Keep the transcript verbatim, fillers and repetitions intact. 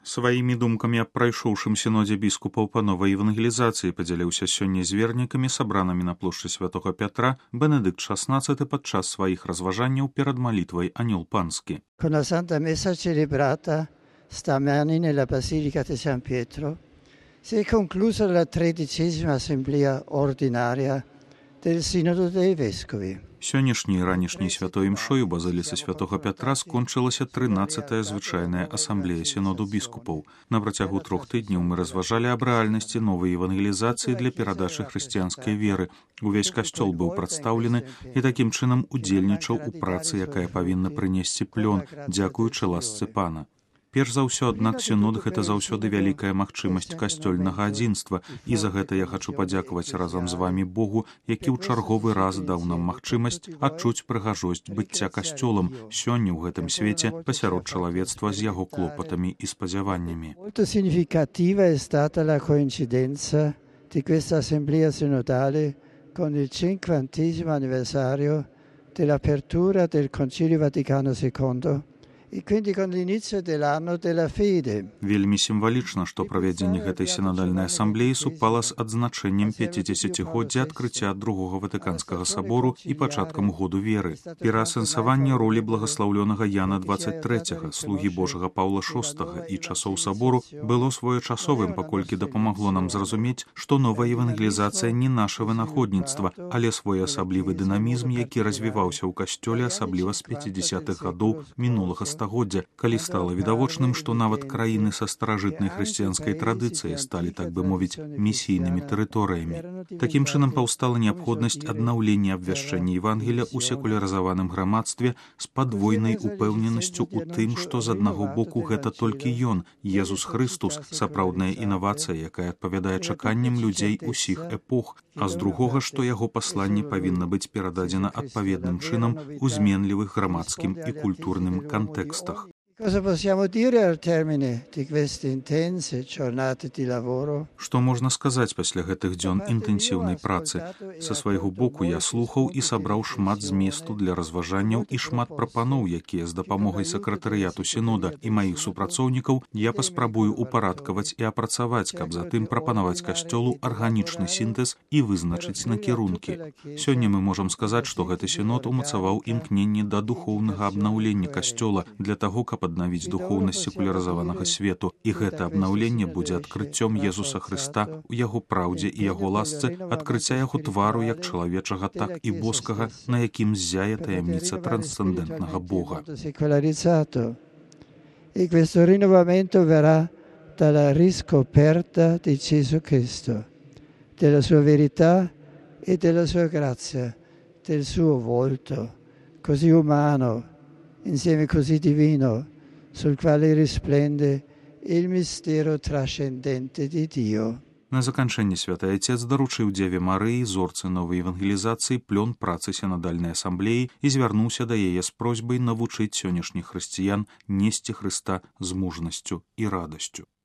Сваімі думкамі аб прайшоўшым сінодзе біскупаў па новай евангелізацыі падзяліўся сёння з вернікамі, сабранымі на плошчы Святога Пятра, Бенедыкт шаснаццаты падчас сваіх разважанняў перад малітвай Анёл Панскі. Con la Santa Messa celebrata stamani nella Basilica di San Pietro si è conclusa la tredicesima assemblea ordinaria del Sinodo dei Vescovi. Сённяшняй і ранішняй святой імшой у базыліцы Святога Пятра скончылася трынаццатая звычайная асамблея сіноду біскупаў. На працягу трох тыдняў мы разважалі аб рэальнасці новай евангелізацыі для перадачы хрысціянскай веры. Увесь касцёл быў прадстаўлены і такім чынам удзельнічаў у працы, якая павінна прынесці плён, дзякуючы ласцы Пана. Перш за ўсё, аднак, сінод – гэта заўсёды вялікая магчымасць касцёльнага адзінства, і за гэта я хачу падзякаваць разам з вамі Богу, які ў чарговы раз даў нам магчымасць адчуць прыгажосць быцця касцёлам сёння ў гэтым свеце пасярод чалавецтва з яго клопатамі і спадзяваннямі. Molto significativa è stata la coincidenza di questa assemblea sinodale con il cinquantesimo anniversario dell'apertura del Concilio Vaticano secondo і quindi con l'inizio dell'anno della fede. Вельмі сімвалічна, што правядзенне гэтай сінадальнай асамблеі супала з адзначэннем пяцідзесяцігоддзя адкрыцця другога Ватыканскага сабору і пачаткам году веры. Пераасэнсаванне ролі благаслаўлёнага Яна дваццаць трэцяга, слугі Божага Паўла шостага і часоў сабору было своечасовым, паколькі дапамагло нам зразумець, што новая евангелізацыя не наша вынаходніцтва, але своеасаблівы дынамізм, які развіваўся ў касцёле, асабліва з пяцідзесятых гадоў мінулага стагоддзя. Калі стала відавочным, што нават краіны са старажытнай хрысціянскай традыцыяй сталі, так бы мовіць, місійнымі тэрыторыямі. Такім чынам паўстала неабходнасць аднаўлення абвяшчэння Евангелія ў секулярызаваным грамадстве з падвойнай упэўненасцю ў тым, што з аднаго боку гэта толькі Ён, Езус Хрыстус, сапраўдная інавацыя, якая адпавядае чаканням людзей усіх эпох, а з другога, што яго пасланне павінна быць перададзена адпаведным чынам у зменлівых грамадскім і культурным кантэкстах. Cosa possiamo dire al termine di queste intense giornate di lavoro? Што можна сказаць пасля гэтых дзён інтэнсіўнай працы? Са свайго боку я слухаў і сабраў шмат зместу для разважанняў і шмат прапаноў, якія з дапамогай сакратарыяту сінода і маіх супрацоўнікаў я паспрабую упарадкаваць і апрацаваць, каб затым прапанаваць касцёлу арганічны сінтэз і вызначыць накірункі. Сёння мы можам сказаць, што гэты сінод умацаваў імкненне да духоўнага абнаўлення касцёла для таго, каб аднавіць духоўнасць секулярызаванага свету, і гэта абнаўленне будзе адкрыццём Езуса Хрыста у яго праўдзе і яго ласцы, адкрыцця яго твару як чалавечага, так і боскага, на якім ззяе таямніца трансцэндэнтнага Бога. E questo rinnovamento verrà dalla riscoperta di Gesù Cristo, della sua verità e della sua grazia, del suo volto così umano, insieme così divino, sul quale risplende il mistero trascendente di Dio. На заканчэнне святы Отец даручыў Дзеве Марыі, зорцы новай евангелізацыі, плён працы сінадальнай асамблеі і звярнуўся да яе з просьбай навучыць сённяшніх хрысціян несці Хрыста з мужнасцю і радасцю.